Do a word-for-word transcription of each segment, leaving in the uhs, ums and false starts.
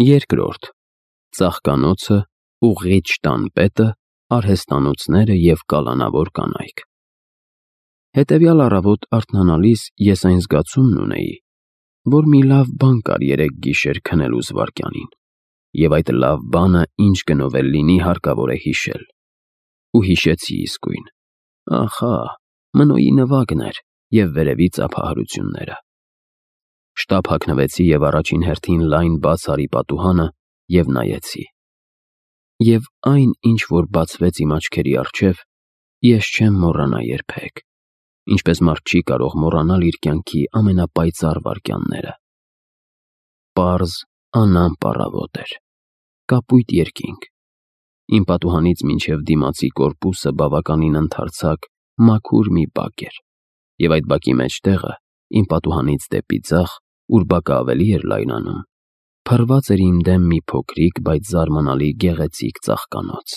Երկրորդ. Ծաղկանոցը, ուղղիչ տանպետը, արհեստանոցները և կալանավոր կանայք։ Հետևյալ առավոտ արթնանալիս ես այն զգացումն ունեի, որ մի լավ բան կար երեկ գիշեր քնելու զվարճանին, և այդ լավ բանը ինչ գնով էլ լինի հարկավոր է հիշել։ Ու հիշեցի իսկույն, ահա, Մնոյի նվագն էր և վերևից ծափահարությունները։ Շտապ հագնվեցի և առաջին հերթին լայն բաց արի պատուհանը և նայեցի։ Եվ այն, ինչ որ բացվեց իմ աչքերի առջև, ես չեմ մոռանա երբեք, ինչպես մարդ չի կարող մոռանալ իր կյանքի ամենապայծառ վայրկյանները։ Պարզ, անամպ առավոտ էր, կապույտ երկինք, իմ պատուհանից մինչև դիմացի կորպուսը բավականին ընդարձակ, մաքուր մի բակ էր, և այդ բակի մեջտեղը, իմ պատուհանից դեպի ձախ, ուր բակը ավելի էր լայնանում, փռված էր իմ դեմ մի փոքրիկ, բայց զարմանալի գեղեցիկ ծաղկանոց։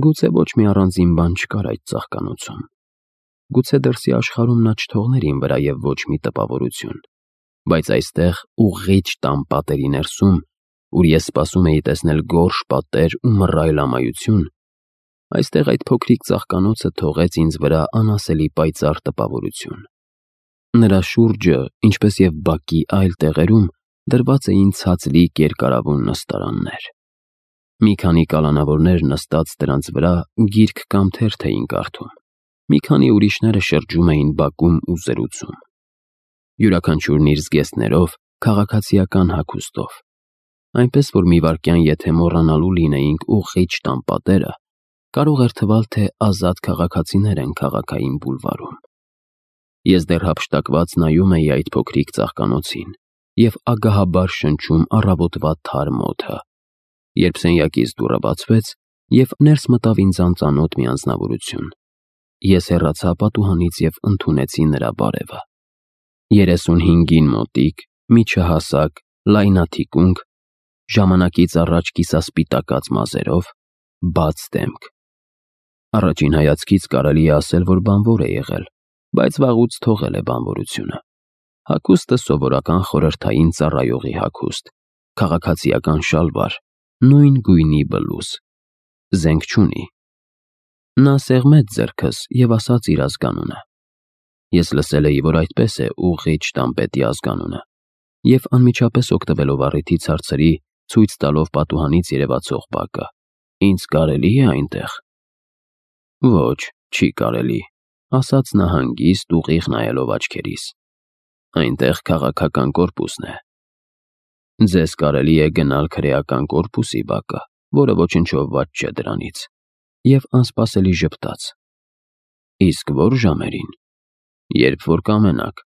Գուցե ոչ մի առանձին բան չկար այդ ծաղկանոցում, գուցե դրսի աշխարհում նա չթողներ իմ վրա և ոչ մի տպավորություն, բայց այստեղ ուղղիչ տան պատերի ներսում, ուր ես սպասում էի տեսնել գորշ պատեր ու մռայլ ամայություն, այստեղ այդ փոքրիկ ծաղկանոցը թողեց ինձ վրա անասելի պայծառ տպավորություն։ Նրա շուրջը, ինչպես և բակի այլ տեղերում, դրված էին ցածլիկ երկարավուն նստարաններ։ Մի քանի կալանավորներ նստած դրանց վրա գիրք կամ թերթ էին կարդում, մի քանի ուրիշները շրջում էին բակում ու զրուցում։ Յուրաքանչյուրն իր զգեստներով, քաղաքացիական հագուստով, այնպես որ մի վայրկյան եթե մոռանալու լինեինք ուղղիչ տան պատերը, կարող էր թվալ, թե ազատ քաղաքացիներ են քաղաքային բուլվարում։ Ես դեռ հափշտակված նայում էի այդ փոքրիկ ծաղկանոցին և ագահաբար շնչում առավոտվա թարմ օդը, երբ սենյակից դուռը բացվեց և ներս մտավ ինձ անծանոթ մի անձնավորություն։ Ես հեռացա պատուհանից և ընդունեցի նրա բարևը։ Երեսունհինգին մոտիկ, միջահասակ, լայնաթիկունք, ժամանակից առաջ կիսասպիտակած մազերով, բաց դեմք։ Առաջին հայացքից կարելի է ասել, որ բանվոր է եղել, բայց վաղուց թողել է բանվորությունը։ Հագուստը սովորական խորհրդային ծառայողի հագուստ, քաղաքացիական շալվար, նույն գույնի բլուզ, զենք չունի։ Նա սեղմեց ձեռքս և ասաց իր ազգանունը։ Ես լսել էի, որ այդպես է ուղղիչ տանպետի ազգանունը, և անմիջապես օգտվելով առիթից հարցրի, ցույց տալով պատուհանից երևացող բակը. Ինձ կարելի՞ է այնտեղ։ Ոչ, չի կարելի, ասաց նա հանգիստ, ուղիղ նայելով աչքերիս։ Այնտեղ քաղաքական կորպուսն է։ Ձեզ կարելի է գնալ քրեական կորպուսի բակը, որը ոչնչով վատ չէ դրանից, և անսպասելի ժպտաց. Իսկ ո՞ր ժամերին։ Երբ որ կամենաք,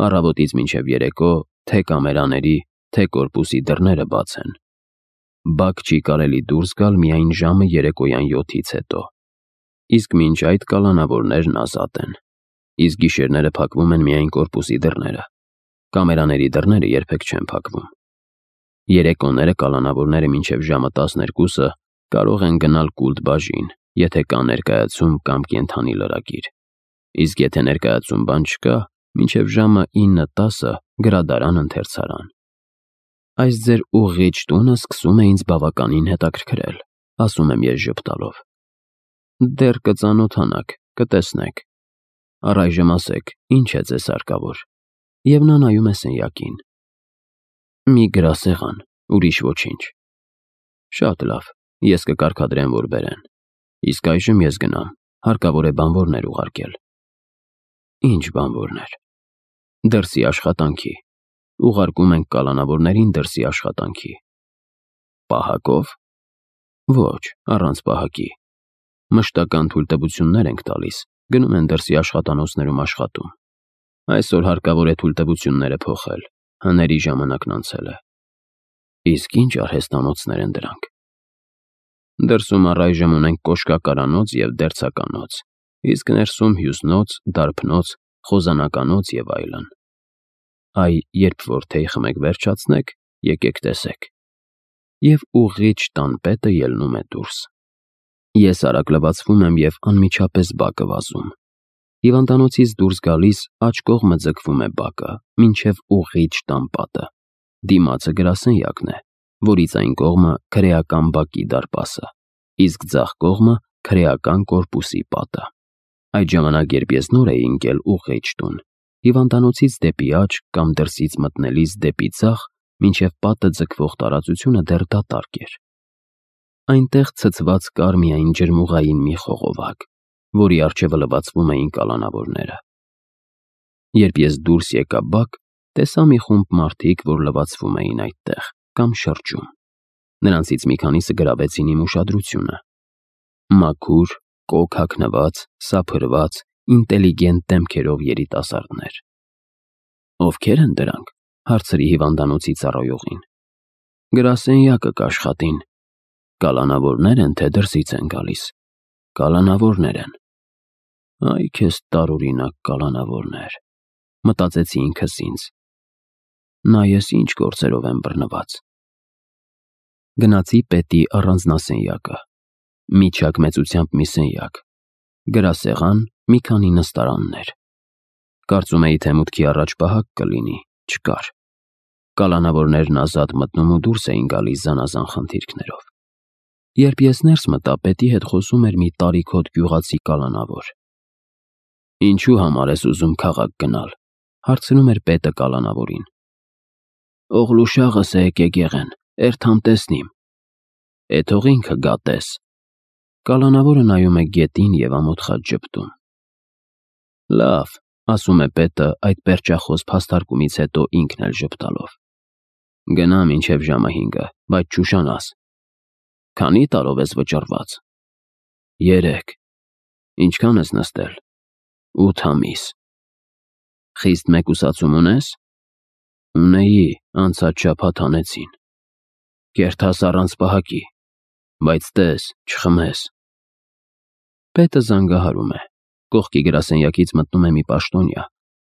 առավոտից մինչև երեկո, թե կամերաների, թե կորպուսի դռները բաց են։ Բակ չի կարելի դուրս գալ միայն ժամը երեկոյան յոթից հետո, իսկ մինչ այդ կալանավորներն ազատ են, իսկ գիշերները փակվում են միայն կորպուսի դռները, կամերաների դռները երբեք չեն փակվում։ Երեկոները կալանավորները մինչև ժամը տասներկուսը կարող են գնալ կուլտ բաժին, եթե կա ներկայացում կամ կենդանի լրագիր, իսկ եթե ներկայացում բան չկա, մինչև ժամը ինը տասը գրադարան, ընթերցարան։ Այս ձեր ուղղիչ տունը սկսում է ինձ բավականին հետաքրքրել, ասում եմ ես ժպտալով։ Դեռ կծանոթանաք, կտեսնեք։ Առայժմ ասեք, ինչ է ձեզ հարկավոր։ Եվ նա նայում է սենյակին։ Մի գրասեղան, ուրիշ ոչինչ։ Շատ լավ, ես կկարգադրեմ, որ բերեն։ Իսկ այժմ ես գնամ, հարկավոր է բանվորներ ուղարկել։ Ինչ բանվորներ։ Դրսի աշխատանքի։ Ուղարկում ենք կալանավորներին դրսի աշխատանքի։ Պահակով։ Ոչ, առանց պահակի։ Մշտական թույլտվություններ ենք տալիս, գնում են դրսի աշխատանոցներում աշխատում։ Այսօր հարկավոր է թույլտվությունները փոխել, հների ժամանակն անցել է։ Իսկ ինչ արհեստանոցներ են դրանք։ Դրսում առայժմ ունենք կոշկակարանոց և դերձականոց, իսկ ներսում հյուսնոց, դարբնոց, խոզանականոց և այլն։ Այ, երբ որ թեյ խմեք վերջացնեք, եկեք տեսեք։ Եվ ուղղիչ տանպետը ելնում է դուրս։ Ես արագ լվացվում եմ և անմիջապես բակը վազում։ Հիվանդանոցից դուրս գալիս աջ կողմը ձգվում է բակը, մինչև ուղղիչ տան պատը, դիմացը գրասենյակն է, որից այն կողմը քրեական բակի դարպասը, իսկ ձախ կողմը քրեական կորպուսի պատը։ Այդ ժամանակ, երբ ես նոր էի ընկել ուղղիչ տուն, հիվանդանոցից դեպի աջ կամ դրսից մտնելիս դեպի ձախ, մինչև պատը ձգվող տարածությունը դեռ դատարկ էր։ Այնտեղ ցցված կար միայն ջրմուղային մի խողովակ, որի առջևը լվացվում էին կալանավորները։ Երբ ես դուրս եկա բակ, տեսա մի խումբ մարդիկ, որ լվացվում էին այդտեղ կամ շրջում։ Նրանցից մի քանիսը գրավեցին իմ ուշադրությունը։ Մաքուր, կոկ հագնված, սափրված, ինտելիգենտ դեմքերով երիտասարդներ։ Ովքեր են դրանք, հարցրի հիվանդանոցի ծառայողին։ Գրասենյակը կաշխատին։ Կալանավորներ են, թե դրսից են գալիս։ Կալանավորներ են։ Այ քեզ տարօրինակ կալանավորներ, մտածեցի ինքս ինձ։ Նա ես ինչ գործերով եմ բռնված։ Գնացի պետի առանձնասենյակը, միջակ մեծությամբ մի սենյակ, գրասեղան, մի քանի նստարաններ։ Կարծում էի, թե մուտքի առաջ պահակ կլինի, չկար։ Կալանավորներն ազատ մտնում ու դուրս էին գալիս զանազան խնդիրքներով։ Երբ ես ներս մտա, պետի հետ խոսում էր մի տարիքոտ գյուղացի կալանավոր։ Ինչու համար ես ուզում քաղաք գնալ, հարցնում էր պետը կալանավորին։ Օղլուշաղս է եկե գեղեն, երթամ տեսնիմ։ Է թող ինքը գա տես։ Կալանավորը նայում է գետին և ամոթ խաչ ժպտում։ Լավ, ասում է պետը այդ պերճախոս փաստարկումից հետո ինքն էլ ժպտալով։ Գնա մինչև ժամը հինգը, բայց չուշանաս։ Քանի տարով ես վճռված։ Երեք։ Ինչքան ես նստել։ Ութ ամիս։ Խիստ մեկուսացում ունես։ Ունեի, անցած շաբաթ հանեցին։ Կերթաս առանց պահակի, բայց տես, չխմես։ Պետը զանգահարում է, կողքի գրասենյակից մտնում է մի պաշտոնյա,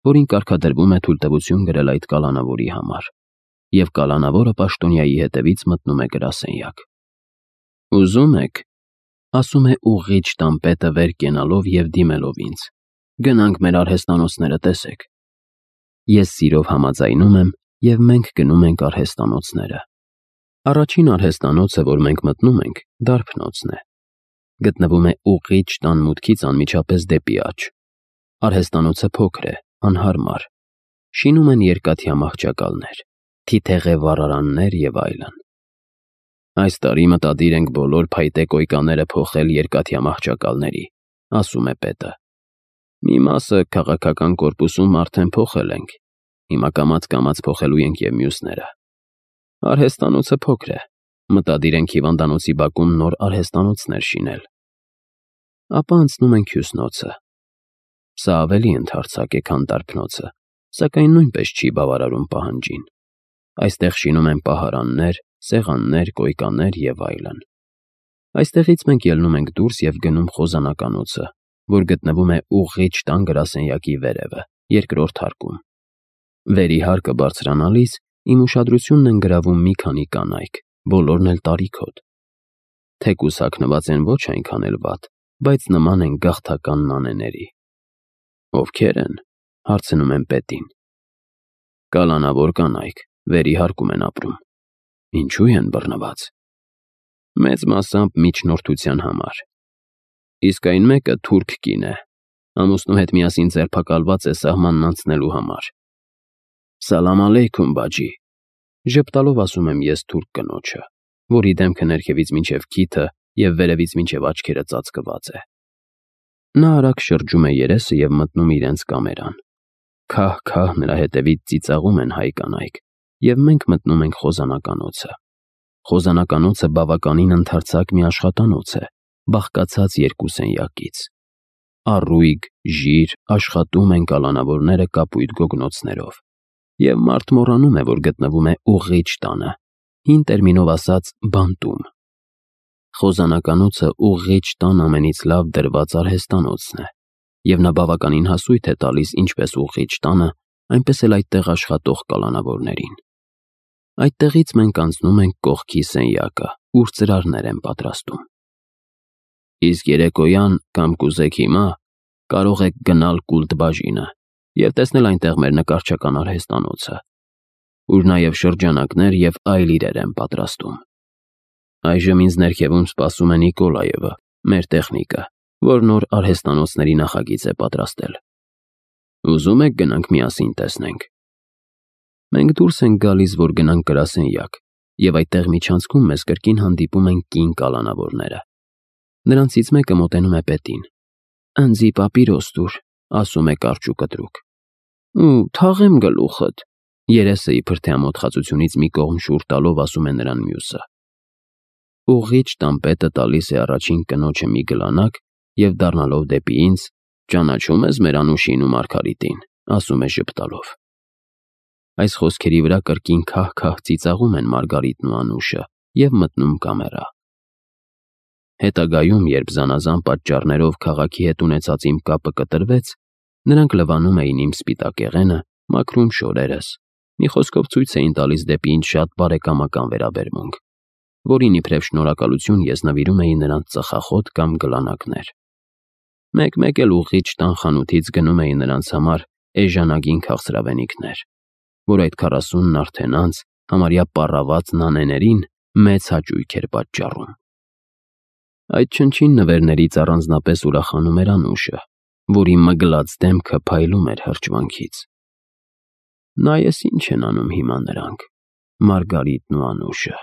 որին կարգադրվում է թույլտվություն գրել այդ կալանավորի համար, և կալանավորը պաշտոնյայի հետևից մտնում է գրասենյակ։ Ուզում եք, ասում է ուղղիչ տան պետը վեր կենալով և դիմելով ինձ, գնանք մեր արհեստանոցները տեսեք։ Ես սիրով համաձայնում եմ, և մենք գնում ենք արհեստանոցները։ Առաջին արհեստանոցը, որ մենք մտնում ենք, դարբնոցն է։ Գտնվում է ուղղիչ տան մուտքից անմիջապես դեպի աջ։ Արհեստանոցը փոքր է, անհարմար։ Շինում են երկաթյա մահճակալներ, թիթեղե վառարաններ և այլն։ Այս տարի մտադիր ենք բոլոր փայտե կոյկաները փոխել երկաթյա մահճակալների, ասում է պետը։ Մի մասը քաղաքական կորպուսում արդեն փոխել ենք, հիմա կամաց-կամաց փոխելու ենք և մյուսները։ Արհեստանոցը փոքր է, մտադիր ենք հիվանդանոցի բակում նոր արհեստանոցներ շինել։ Ապա անցնում ենք հյուսնոցը։ Սա ավելի ընդարձակ է, քան դարբնոցը, սակայն նույնպես չի բավարարում պահանջին։ Այստեղ շինում են պահարաններ, սեղաններ, կոյկաներ և այլն։ Այստեղից մենք ելնում ենք դուրս և գնում խոզանականոցը, որ գտնվում է ուղղիչ տան գրասենյակի վերևը, երկրորդ հարկում։ Վերի հարկը բարձրանալիս իմ ուշադրությունն են գրավում մի քանի կանայք, բոլորն էլ տարիքոտ։ Թեկուզ հագնված են ոչ այնքան էլ վատ, բայց նման են գաղթական նանեների։ Ովքեր են, հարցնում եմ պետին։ Կալանավոր կանայք, վերի հարկում են ապրում։ Ինչու են բռնված։ Մեծ մասամբ միջնորդության համար։ Իսկ այն մեկը թուրք կին է, ամուսնու հետ միասին ձերբակալված է սահմանն անցնելու համար։ Սալամ ալեյքում, բաջի, ժպտալով ասում եմ ես թուրք կնոջը, որի դեմքը ներքևից մինչև քիթը և վերևից մինչև աչքերը ծածկված է։ Նա արագ շրջում է երեսը և մտնում իրենց կամերան։ Քահ-քահ նրա հետևից ծիծաղում են հայ կանայք, և մենք մտնում ենք խոզանականոցը։ Խոզանականոցը բավականին ընդարձակ մի աշխատանոց է, բաղկացած երկու սենյակից։ Առույգ, ժիր, աշխատում են կալանավորները կապույտ գոգնոցներով, և մարդ մոռանում է, որ գտնվում է ուղղիչ տանը, հին տերմինով ասած բանտում։ Խոզանականոցը ուղղիչ տան ամենից լավ դրված արհեստանոցն է, և նա բավականին հասույթ է տալիս ինչպես ուղղիչ տանը, այնպես էլ այդտեղ աշխատող կալանավորներին։ Այդտեղից մենք անցնում ենք կողքի սենյակը, ուր ծրարներ են պատրաստում։ Իսկ երեկոյան կամ կուզեք հիմա, կարող եք գնալ կուլտ բաժինը և տեսնել այնտեղ մեր նկարչական արհեստանոցը։ ուր նաև շրջանակներ և այլ իրեր են պատրաստում։ Այժմ ինձ ներքևում սպասում է Նիկոլաևը, մեր տեխնիկը, որ նոր արհեստանոցների նախագիծ է պատրաստել։ Ուզում եք գնանք միասին տեսնենք։ Մենք դուրս ենք գալիս, որ գնանք գրասենյակ, և այդտեղ միջանցքում մեզ կրկին հանդիպում են կին կալանավորները։ Նրանցից մեկը մոտենում է պետին։ «Ընձի պապիրոս տուր», ասում է կարճ ու կտրուկ։ «Ու թաղեմ գլուխդ», երեսը իբր թե ամոթխածությունից մի կողմ շուռ տալով ասում է նրան մյուսը։ Ուղղիչ տան պետը տալիս է առաջին կնոջը մի գլանակ և դառնալով դեպի ինձ. «Ճանաչո՞ւմ ես մեր Անուշին ու Մարգարիտին», ասում է ժպտալով։ Այս խոսքերի վրա կրկին քահ-քահ ծիծաղում են Մարգարիտն ու Անուշը և մտնում կամերա։ Հետագայում, երբ զանազան պատճառներով քաղաքի հետ ունեցած իմ կապը կտրվեց, նրանք լվանում էին իմ սպիտակեղենը, մաքրում շորերս, մի խոսքով ցույց էին տալիս դեպի ինձ շատ բարեկամական վերաբերմունք, որին իբրև շնորհակալություն ես նվիրում էի նրանց ծխախոտ կամ գլանակներ։ Մեկ-մեկ էլ ուղղիչ տան խանութից գնում էի նրանց համար էժանագին քաղցրավենիքներ, որ այդ քառասունն արդեն անց համարյա պառաված նանեներին մեծ հաճույք էր պատճառում։ Այդ չնչին նվերներից առանձնապես ուրախանում էր Անուշը, որի մգլած դեմքը փայլում էր հրճվանքից։ Նա էս ինչ են անում հիմա նրանք, Մարգարիտն ու Անուշը։